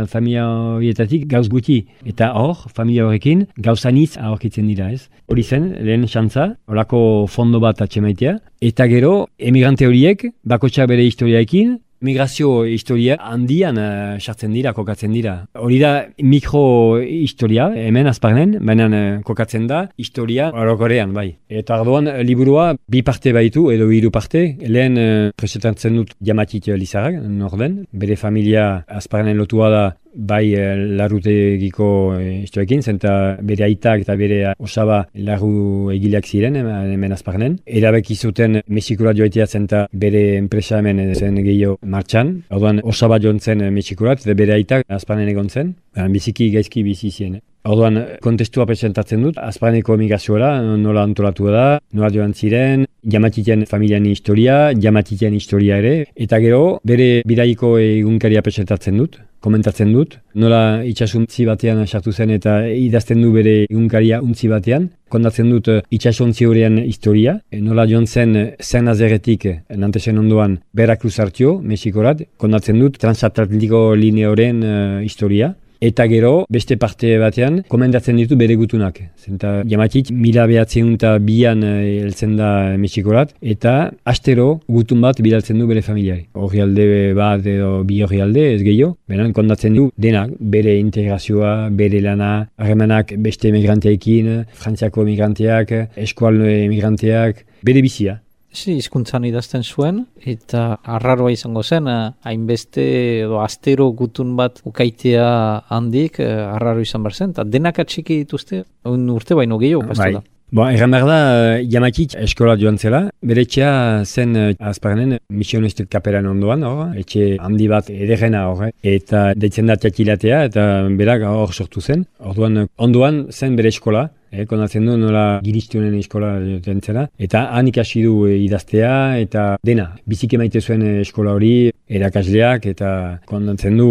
familia horietatik gauz guti. Eta hor, familia horrekin gauzanitz aurkitzen dira, ez? Hori zen, lehen xantza, horako fondo bat atxemaitea. Eta gero, emigrante horiek bakotxa bere historiaekin, migrazio historia handian sartzen dira, kokatzen dira. Hori da mikrohistoria, hemen azparnen, baina kokatzen da historia orokorrean, bai. Eta ardoan, liburua bi parte baitu, edo 3 parte. Lehen presentatzen dut Jamatit Lizarrak, norden. Bere familia azparnen lotua da bai larrutegiko historiekin, zenta bere aitak eta bere osaba larru egileak ziren hemen azparnen. Erabeki zuten Mexikora joitea zenta bere enpresa hemen zen gehiago martxan. Orduan osaba joan zen Mexikorat eta bere aitak azparnen egon zen. Biziki gaizki bizi zien. Orduan kontestua presentatzen dut, azparneko emigrazioa nola antolatu da, nola joan ziren, Jamatiten familian historia, Jamatiten historia ere, eta gero bere bidaiko egunkaria presentatzen dut, komentatzen dut, nola itxasuntzi batean sartu zen eta idazten du bere egunkaria untzi batean, kontatzen dut itxasuntzi horrean historia, nola joan zen Zernazerretik Nantesen ondoan Veracruz hartio, Mexikorat, kontatzen dut transatlantiko lineoren historia. Eta gero, beste parte batean, komentatzen ditu bere gutunak. Zenta Jamatik 1902an heltzen da Mexikorat, eta astero gutun bat bidaltzen du bere familiari. Orrialde bat edo bi orrialde, ez gehiago. Beran, kontatzen du denak, bere integrazioa, bere lana, harremanak beste emigranteekin, Frantziako emigranteak, eskual emigranteak, bere bizia. hizkuntzan idazten zuen, eta arraroa izango zen, hainbeste edo astero gutun bat ukaitea handik, arraro izan behar zen, eta denak atxiki dituzte, urte baino gehiago, pastu da. Egan behar da, Jamakik eskola joan zela, bere etxea zen Azparnen misionistet kaperan ondoan, etxe handi bat ederrena eta deitzen da txakilatea, eta berak hor sortu zen. Orduan, ondoan zen bere eskola, kondatzen du nola giristunen eskola joten zela, eta han ikasi du idaztea, eta dena, biziki maite zuen eskola hori, erakasleak, eta kondatzen du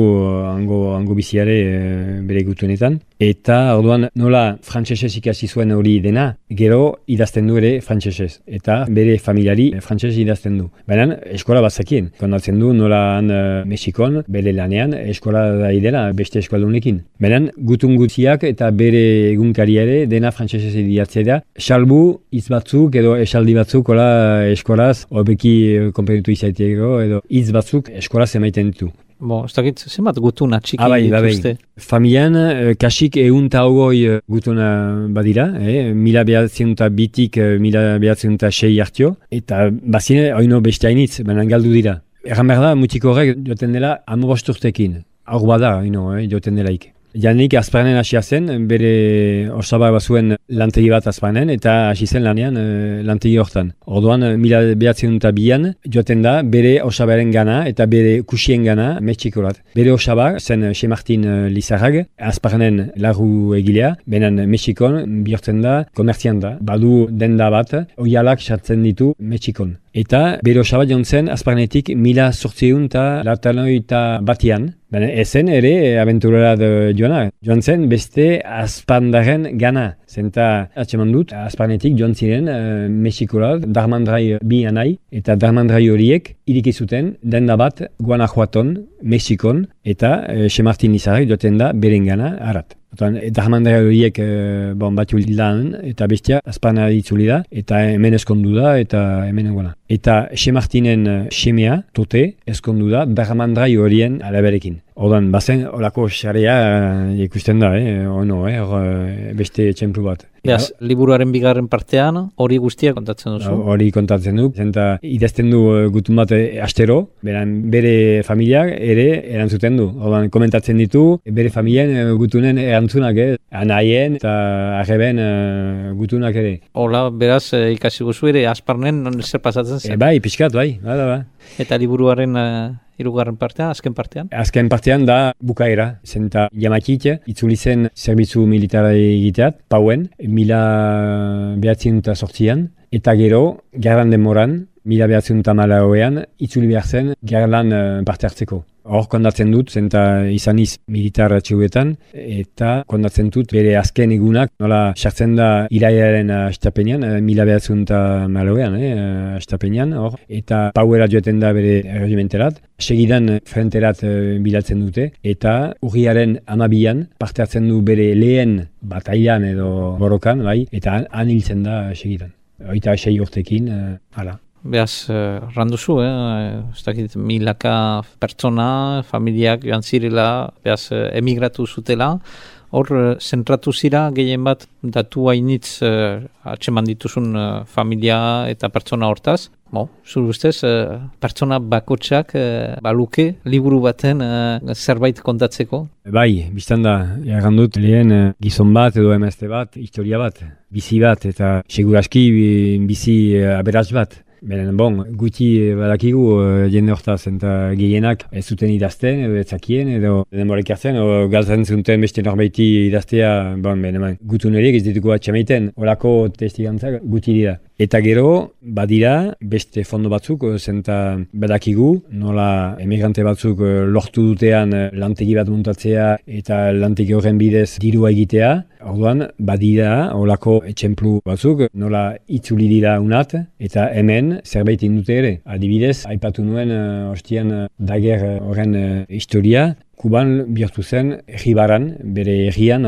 hango biziare bere gutunetan. Eta orduan nola frantsesez ikasi zuen hori dena, gero idazten du ere frantsesez, eta bere familiari frantsesez idazten du. Baina eskola bazakien, kondatzen du nola han Mexikon, bere lanean, eskola da idela beste eskualdunekin. Baina gutun gutziak eta bere egunkari ere dena frantsesez idatzea da, salbu hitz batzuk edo esaldi batzuk eskolaz, hobeki konpenitu izaiteko edo hitz batzuk eskolaz emaiten ditu. Ez dakit, zenbat gutuna txiki dituzte? Familian, kasik 120 gutuna badira, 1902-tik 1906 hartio, eta bazine oino beste hainitz, baina galdu dira. Erran behar da, mutiko horrek joten dela 15 urtekin, hor bada, joten delaik. Janik Azparnen hasia zen, bere osaba bazuen lantegi bat Azparnen, eta hasi zen lanean lantegi hortan. Orduan, 1902an joaten da bere osabaren gana eta bere kusien gana Mexikorat. Bere osaba zen Xe Martin Lizarrag, Azparnen larru egilea, benen Mexikon bihurtzen da komertzian da. Badu denda bat, oialak sartzen ditu Mexikon. Eta bere osaba joan zen Azparnetik 1891 Baina ezen ere abenturera joan zen beste Azpandaren gana. Zenta atxeman dut, Azparnetik joan ziren Mexikola, Darmandrai bi anai, eta Darmandrai horiek irikizuten denda bat Guanajuaton, Mexikon, eta Xe Martin Lizarrek joten da beren gana harat. Darmandrai horiek batu lan, eta bestia Azparna ditzuli da, eta hemen eskondu da, eta hemen egona. Eta Xe Martinen semea, tote, eskondu da Darmandrai horien alaberekin. Ordan, bazen, olako xarea ikusten da, beste txemplu bat. Beaz, liburuaren bigarren partean, hori guztia kontatzen duzu? Hori kontatzen du, zenta idazten du gutun bat astero, bere familiak ere erantzuten du. Ordan, komentatzen ditu, bere familien gutunen erantzunak, anaien eta arreben gutunak ere. Hola, beraz, ikasi guzu ere, Azparnen zer pasatzen zen? Bai, pixkat, bai. Eta liburuaren hirugarren partean, azken partean? Azken partean da bukaera, zenta Jamakik itzuli zen zerbitzu militara egiteat, pauen, 1908an, eta gero, gerran demoran, 1914an, itzuli behar zen gerran parte hartzeko. Hor kondatzen dut, zenta izaniz militar atxeuetan, eta kondatzen dut bere azken egunak, nola sartzen da iraiaren astapenean, 1914an, astapenean, hor, eta pauera joeten da bere regimenterat, segidan frenterat bilatzen dute, eta urriaren 12an parte hartzen du bere lehen batailan edo borrokan, bai, eta han hiltzen da segidan. 26 urtekin, hala. Beaz, randuzu, ez dakit, milaka pertsona, familiak joan zirela, beaz, emigratu zutela, hor, zentratu zira, gehien bat, datu hainitz atxeman dituzun familia eta pertsona hortaz. Zure ustez, pertsona bakotsak baluke, liburu baten zerbait kontatzeko? Bai, biztan da, egan dut, lehen gizon bat edo emazte bat, historia bat, bizi bat, eta seguraski bizi aberats bat. Beren, guti badakigu jende hortaz, eta gehienak ez zuten idazten, edo etzakien, edo denborek hartzen, edo galtzen zuten beste norbaiti idaztea, gutun horiek ez dituko atxamaiten, olako testigantzak guti dira. Eta gero, badira, beste fondo batzuk, zenta badakigu, nola emigrante batzuk lortu dutean lantegi bat muntatzea eta lantegi horren bidez dirua egitea. Orduan, badira, olako etxemplu batzuk, nola itzuli dira unat, eta hemen zerbait indute ere. Adibidez, aipatu nuen ostian dager horren historia, Kuban bihurtu zen Ejibaran, bere errian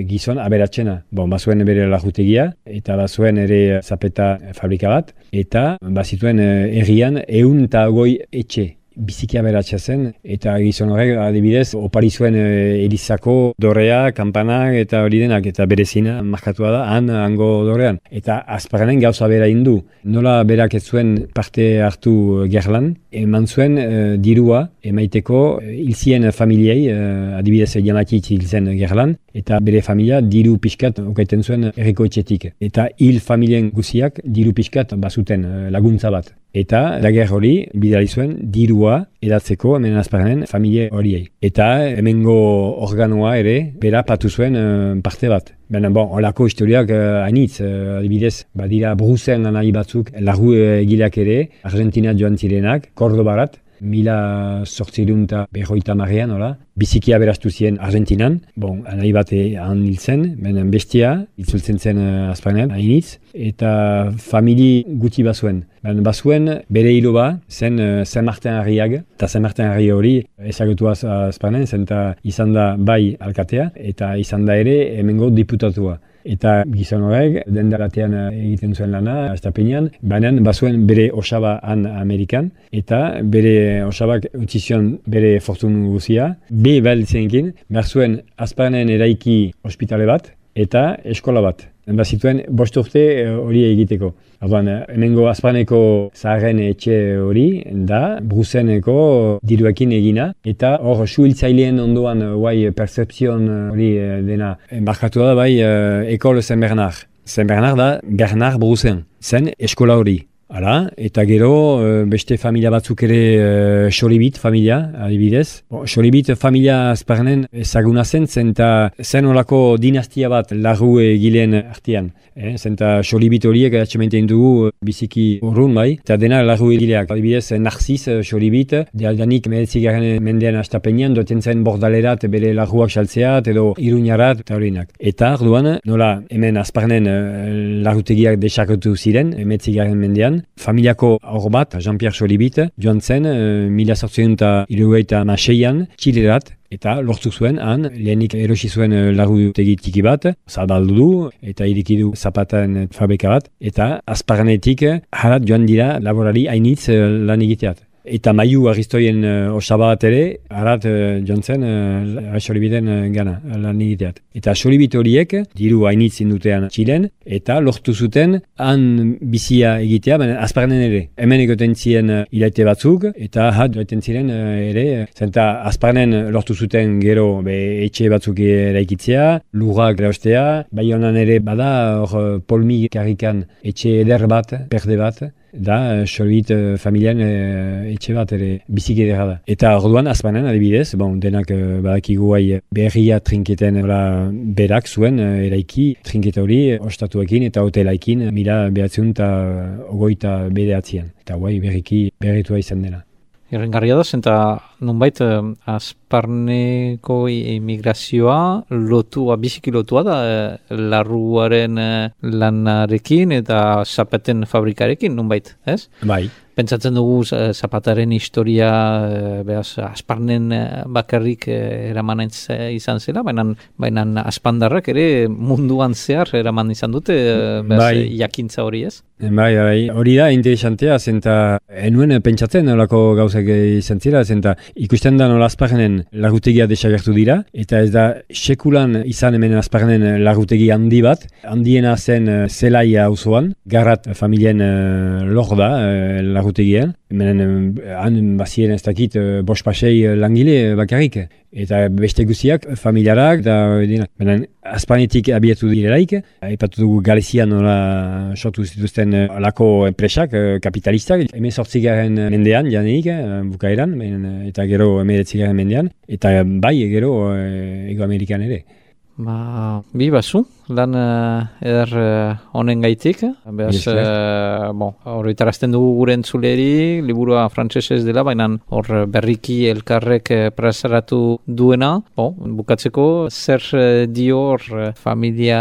gizon aberatsena. Bazuen bere lajutegia eta bazuen ere zapeta fabrika bat eta bazituen errian 120 etxe. biziki aberatsa zen, eta gizon horrek adibidez opari zuen Elizako dorrea, kanpanak eta hori denak, eta bere zina markatua da hango dorrean. Eta Asparrenen gauza bera indu. Nola berak ez zuen parte hartu gerlan, eman zuen dirua emaiteko hilzien familiei, adibidez Jamatitz hil zen gerlan, eta bere familia diru pixkat okaiten zuen herriko etxetik. Eta hil familien guziak diru pixkat bazuten laguntza bat. Eta lager hori bidali zuen dirua edatzeko hemen Asparrenen familie horiei. Eta hemengo organoa ere bera patu zuen parte bat. Baina, olako historiak hainitz, adibidez, badira Brusen anai batzuk, lagu egileak ere, Argentina joan zirenak, Cordobarat, 1850 nola, biziki aberastu ziren Argentinan, anai bat han hil zen, benen bestia, itzultzen zen Asparrenen, hainitz, eta famili guti bazuen. Bazuen bere hiloba zen Saint Martin Harriag, eta Saint Martin Harri hori ezagutua Asparrenen, zen izan da bai alkatea, eta izan da ere hemengo diputatua. Eta gizon horrek, dendalatean egiten zuen lana, Astapenean, baina bazuen bere osaba han Amerikan, eta bere osabak utzi zion bere fortun guzia, behar zenkin, behar zuen Asparrenen eraiki ospitale bat, eta eskola bat. Bazituen 5 urte hori egiteko. Orduan, hemengo Asparreneko zaharren etxe hori da Bruseneko diruekin egina, eta hor suhiltzaileen ondoan percepzion hori dena embarkatu da bai Ecole Saint-Bernard. Saint-Bernard da Bernard Brusen, zen eskola hori. Hala, eta gero beste familia batzuk ere Xolibit familia, adibidez. Xolibit familia Asparrenen ezaguna zen zen olako dinastia bat larru egileen artean. Zenta Xolibit horiek atxementen dugu biziki urrun bai, eta dena larru egileak. Adibidez, Narcis Xolibit, dialdanik 19. mendean Astapenean, doten zen bordalerat bere larruak saltzeat, edo Iruñarat, eta horinak. Eta arduan, nola hemen Asparrenen larrutegiak desakatu ziren, 19. mendean, familiako hor bat, Jean-Pierre Xolibit, joan zen 1876an Txilerat, eta lortu zuen han, lehenik erosi zuen larrutegi tiki bat, zabaldu du, eta irikidu zapaten fabrika bat, eta Asparrenetik harat joan dira laborari hainitz lan egiteat. Eta Maiu Aristoien osaba bat ere, harat joan zen Xolibiten gana lan egiteat. Eta Xolibit horiek, diru hainitz indutean Txilen, eta lortu zuten han bizia egitea, Asparrenen ere. Hemen egoten ziren hilaite batzuk, eta joaten ziren ere, zenta Asparrenen lortu zuten gero etxe batzuk eraikitzea, lurrak eraostea, Baionan ere bada, hor Polmi karrikan etxe eder bat, perde bat, da Xolibit familian etxe bat ere biziki edera da. Eta orduan Asparrenen adibidez, denak badakigu berria trinketen berak zuen eraiki trinketa hori ostatuekin eta hotelaikin 1929 eta berritua izan dela. Errengarria da, zenta nonbait Asparreneko emigrazioa biziki lotua da larruaren lanarekin eta zapeten fabrikarekin nonbait, ez? Bai. Pentsatzen dugu zapataren historia Asparrenen bakarrik eraman izan zela, baina Aspandarrak ere munduan zehar eraman izan dute jakintza hori, ez? Bai, hori da interesantea, zenta enuen pentsatzen olako gauzak izan zela, zenta ikusten da nola Asparrenen larrutegia desagertu dira, eta ez da sekulan izan hemen Asparrenen larrutegi handi bat, handiena zen Zelaia auzoan, Garrat familien lor da larrutegian, han bazien ez dakit 5-6 langile bakarrik, eta beste guziak familiarak, benen Asparrenetik abiatu direlaik, aipatu dugu Galizian nola sortu zituzten alako enpresak, kapitalistak, 18. mendean janeik, bukaeran, eta gero 19. mendean, eta bai gero Ego Amerikan ere. Bi bazu, lan eder honen gaitik. Horretarazten dugu gure entzuleri, liburua frantsesez dela, baina hor berriki elkarrek plazaratu duena. Bukatzeko, zer dio hor familia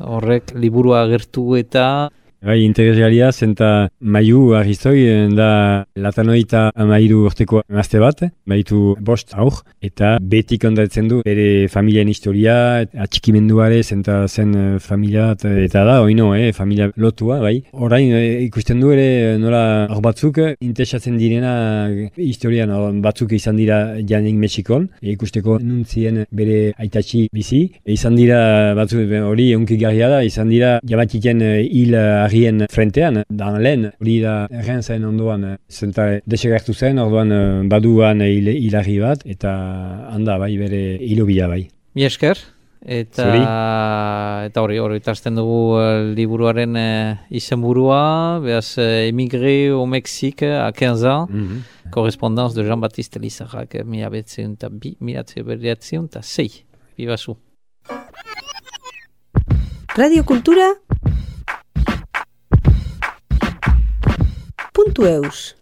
horrek liburua agertu eta Bai, interesgarria, zenta maiu arrizoi, da latanoita amairu urteko emazte bat, baitu bost aur, eta beti kontatzen du bere familien historia, atxikimenduare, zenta zen familia, eta da, oino, familia lotua, bai. Orain, ikusten du ere, nola, hor batzuk, interesatzen direna historian, batzuk izan dira janik Mexikon, ikusteko nuntzien bere aitatxi bizi, izan dira, batzuk, hori unkigarria da, izan dira, jabatiken hil argien frentean, dan lehen, hori da errenzaen ondoan, zenta desegertu zen, orduan baduan hilarri bat, eta handa bai, bere hilobila bai. Mi esker, eta hori itasten dugu liburuaren izenburua, behaz Émigré au Mexique à 15 ans, correspondance de Jean-Baptiste Lizarrak, 1906. Bibazu. Radio Kultura .eus.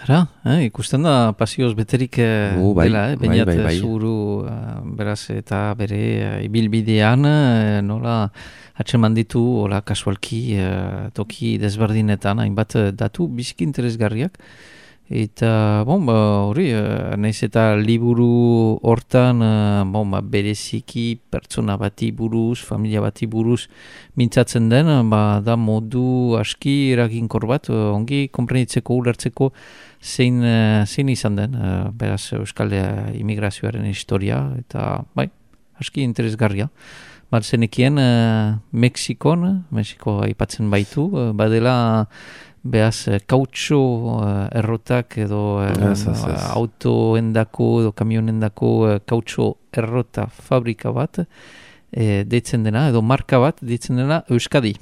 Ara, ikusten da pasioz beterik dela, bainat zuru beraz eta bere ibilbidean, nola atxeman ditu, hola kasualki toki desberdinetan, hainbat datu biziki interesgarriak. Eta, hori, nahiz eta liburu hortan, bereziki pertsona bati buruz, familia bati buruz mintzatzen den, da modu aski eraginkor bat, ongi konprenitzeko, ulertzeko zein izan den, beraz Euskal Immigrazioaren historia, eta, aski interesgarria. Zenekien, Mexiko aipatzen baitu, badela, behaz, kautxo errotak edo autoendako edo kamionendako kautxo errota fabrika bat deitzen dena, edo marka bat deitzen dena Euskadi.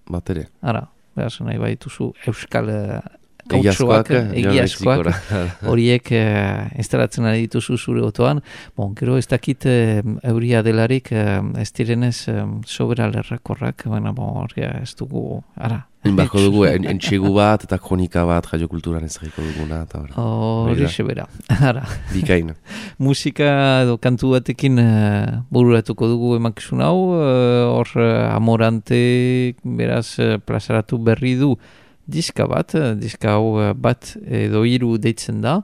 Bateria. Ara, behaz, nahi baituzu Euskal kautxoak, egiazkoak, horiek instalatzen ari dituzu zure otoan. Gero ez dakit euria delarik ez direnez sobera lerrakorrak, ez dugu, ara. Inbako dugu, entxegu bat eta kronika bat Radio Kulturan ezagiko duguna. Hori sebera, ara. Bikain. Musika edo kantu batekin bururatuko dugu emankizun hau, hor Amorante beraz plazaratu berri du diska hau bat edo hiru deitzen da,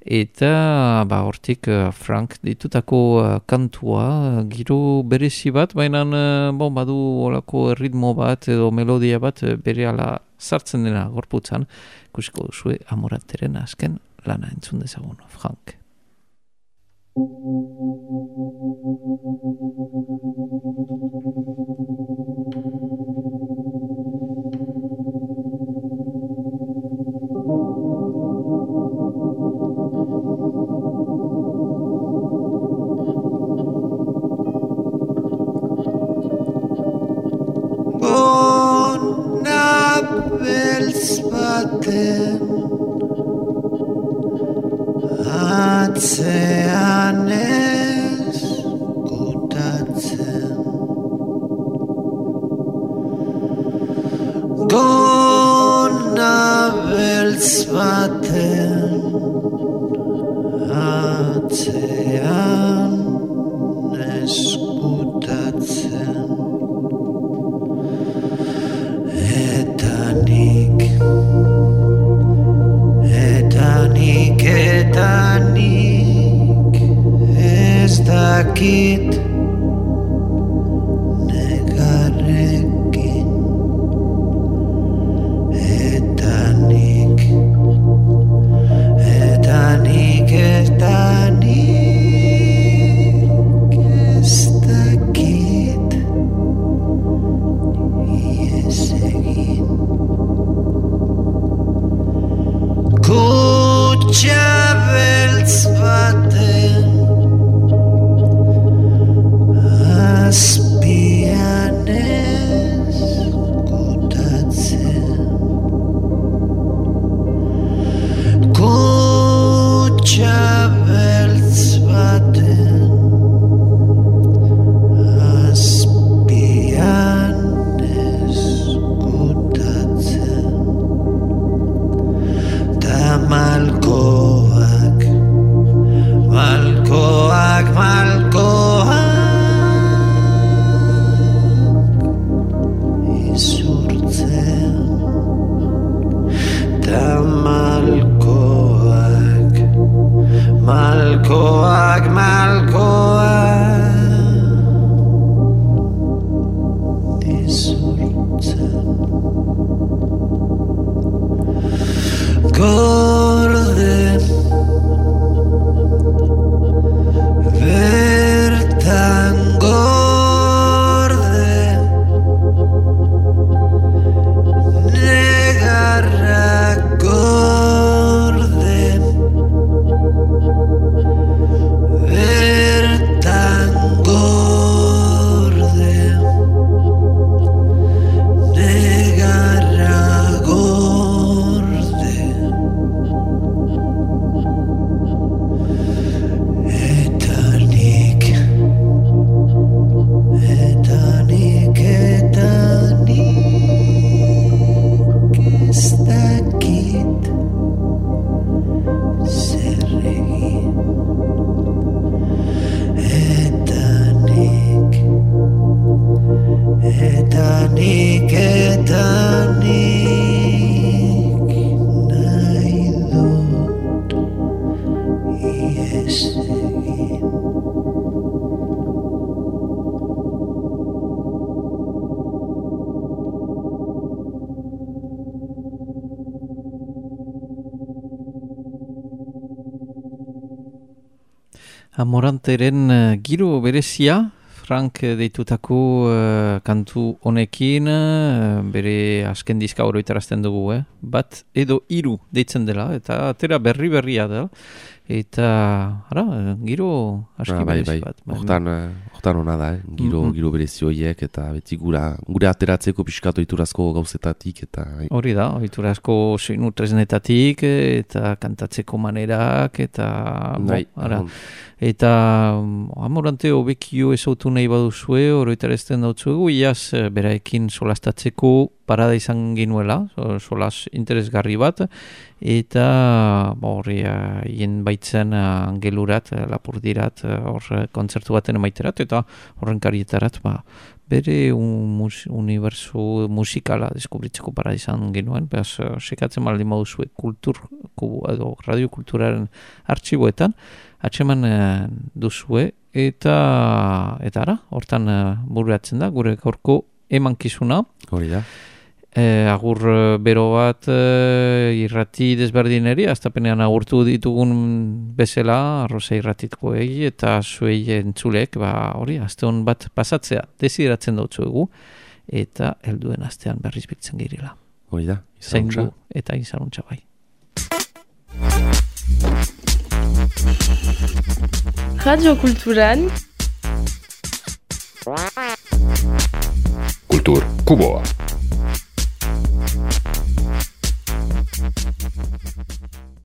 eta hortik Frank ditutako kantua, giro berezi bat, baina badu olako ritmo bat edo melodia bat bere ala sartzen dena gorputzan, ikusiko duzue Amoranteren azken lana entzun dezagun, Frank. Beltz baten atzean ez gutatzen gona beltz baten atzean ez gutatzen eta nik ez dakit negarrekin eta nik ez dakit ies egin kutxa beltz baten azpian ez gutatzen kutxa beltz baten azpian ez gutatzen tamalko Amoranteren giro berezia, Frank deitutako kantu honekin, bere azken diska oroitarazten dugu, bat edo hiru deitzen dela, eta atera berria da, eta giro aski berezi bat. Hortan hona da, giro berezi horiek, eta beti gure ateratzeko pixkatu oiturazko gauzetatik. Hori da, oiturazko soinu tresnetatik, eta kantatzeko manerak, eta eta Amorante hobekio ezautu nahi baduzue, oroitarazten dautzuegu, iaz beraekin solastatzeko parada izan genuela, solas interesgarri bat, eta horri hien baitzen angelurat, lapurdirat, hor kontzertu baten emaiterat, eta horren karietarat, bere uniberso musikala deskubritzeko parada izan genuen, behaz, sekatzen baldin baduzue edo radiokulturaren artxiboetan, atxeman duzue, eta hortan bururatzen da, gure gaurko emankizuna. Hori da. Agur bero bat irrati desberdineri, aztapenean agurtu ditugun bezala, arroza irratitkoei, eta zuei entzulek, hori, azte hon bat pasatzea, desideratzen dautzuegu, eta helduen astean berriz biltzen girela. Hori da, zaindu eta izanuntza bai. Radio Kulturan Kultur Kuboa.